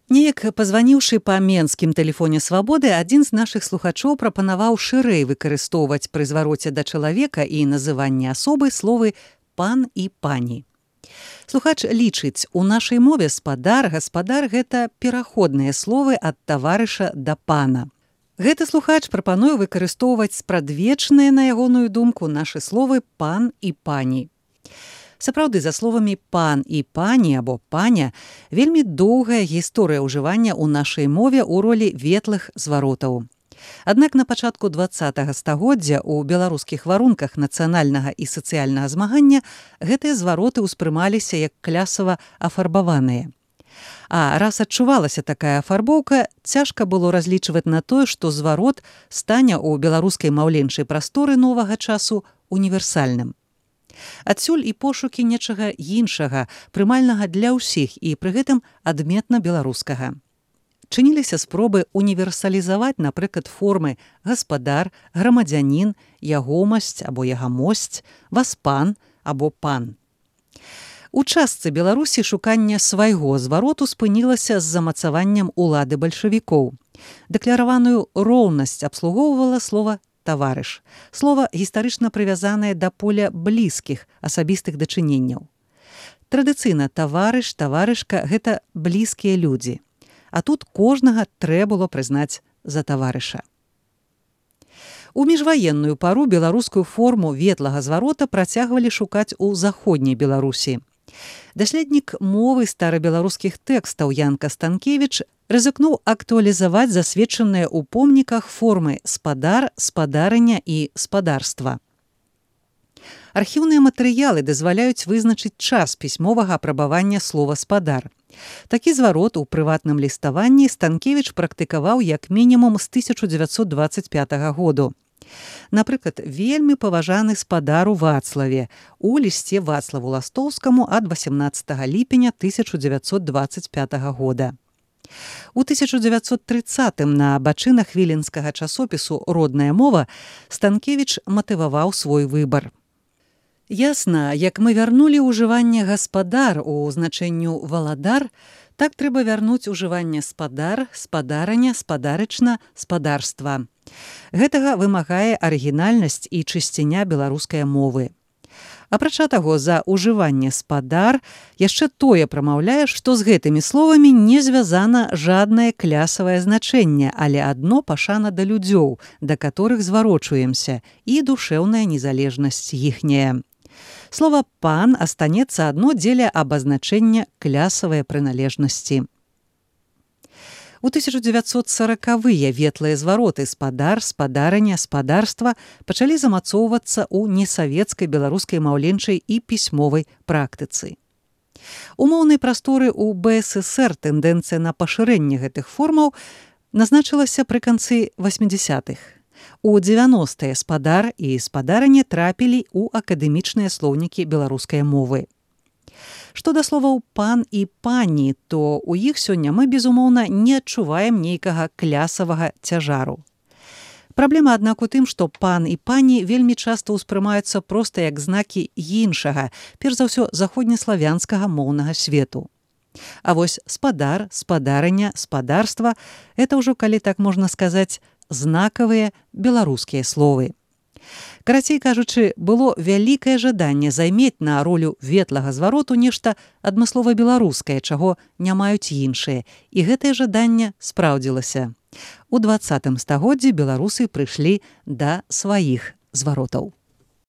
Неяк пазваніўшы па менскім тэлефоне свабоды, адзін з нашых слухачоў прапанаваў шырэй выкарыстоўваць пры звароце да чалавека і называнні асобы словы «пан» і «пані». Слухач лічыць, у нашай мове спадар, гаспадар – гэта пераходныя словы ад таварыша да пана. Гэты слухач прапануе выкарыстоўваць спрадвечныя, на ягоную думку, нашы словы «пан» і «пані». Сапраўды, за словамі «пан» і «пані» або «паня» вельмі доўгая гісторыя ўжывання ў нашай мове ў ролі ветлых зваротаў. Аднак на пачатку 20-го стагоддзя ў беларускіх варунках нацыянальнага і сацыяльнага змагання гэтыя звароты ўспрымаліся як клясава афарбаваныя. А раз адчувалася такая афарбоўка, цяжка было разлічваць на тое, што зварот стане ў беларускай маўленчай прасторы новага часу універсальным. Адсюль і пошукі нечага іншага, прымальнага для ўсіх і пры гэтым адметна беларускага. Чыніліся спробы універсалізаваць, напрыклад, формы гаспадар, грамадзянін, ягомасць або ягамосць, васпан або пан. У частцы Беларусі шуканне свайго звароту спынілася з замацаваннем улады бальшавікоў. Дэклараваную роўнасць абслугоўвала слова «таварыш». Слова гістарычна прывязанае да поля блізкіх асабістых дачыненняў. Традыцыйна таварыш, таварышка – гэта блізкія людзі. А тут кожнага трэ было прызнаць за таварыша. У міжваенную пару беларускую форму ветлага зварота працягвалі шукаць у заходняй Беларусі. Даследнік мовы старабеларускіх тэкстаў Ян Кастанкевіч рызыкнуў актуалізаваць засведчаныя ў помніках формы спадар, спадарыня і спадарства. Архіўныя матэрыялы дазваляюць вызначыць час пісьмовага апрабавання слова «спадар». Такі зварот у прыватным ліставанні Станкевіч практыкаваў як мінімум з 1925 году. Напрыклад, вельмі паважаны спадар у Вацлаве у лісце Вацлаву Ластоўскаму ад 18 ліпеня 1925 года. У 1930-м на абачынах віленскага часопісу «Родная мова» Станкевіч матываваў свой выбар. Ясна, як мы вярнулі ўжыванне гаспадар у значэнню валадар, так трэба вярнуць ужыванне спадар, спадарыня, спадарычна, спадарства. Гэтага вымагае арыгінальнасць і чысціня беларускай мовы. Апрача таго, за ўжыванне спадар яшчэ тое прамаўляе, што з гэтымі словамі не звязана жаднае клясавае значэнне, але адно пашана да людзёў, да каторых зварочваемся, і душэўная незалежнасць іхняя. Слова «пан» астанецца адно дзеля абазначэння клясавай прыналежнасці. У 1940-е ветлыя звароты спадар, спадарыня, спадарства пачалі замацоўвацца ў несавецкай беларускай маўленчай і пісьмовай практыцы. У моўнай прасторы ў БССР тэндэнцыя на пашырэнне гэтых формаў назначылася пры канцы 80-х. У 90-е спадар і спадарыня трапілі ў акадэмічныя слоўнікі беларускай мовы. Што да словаў «пан» і «пані», то ў іх сёння мы, безумоўна, не адчуваем нейкага клясавага цяжару. Праблема, аднак, у тым, што «пан» і «пані» вельмі часта ўспрымаюцца проста як знакі іншага, перш за ўсё заходнеславянскага моўнага свету. А вось спадар, спадарыня, спадарства – гэта ўжо, калі так можна сказаць, знакавыя беларускія словы. Карацей кажучы, было вялікае жаданне займець на ролю ветлага звароту нешта адмыслова беларускае, чаго не маюць іншыя, і гэтае жаданне спраўдзілася. У 20-м стагоддзі беларусы прыйшлі да сваіх зваротаў.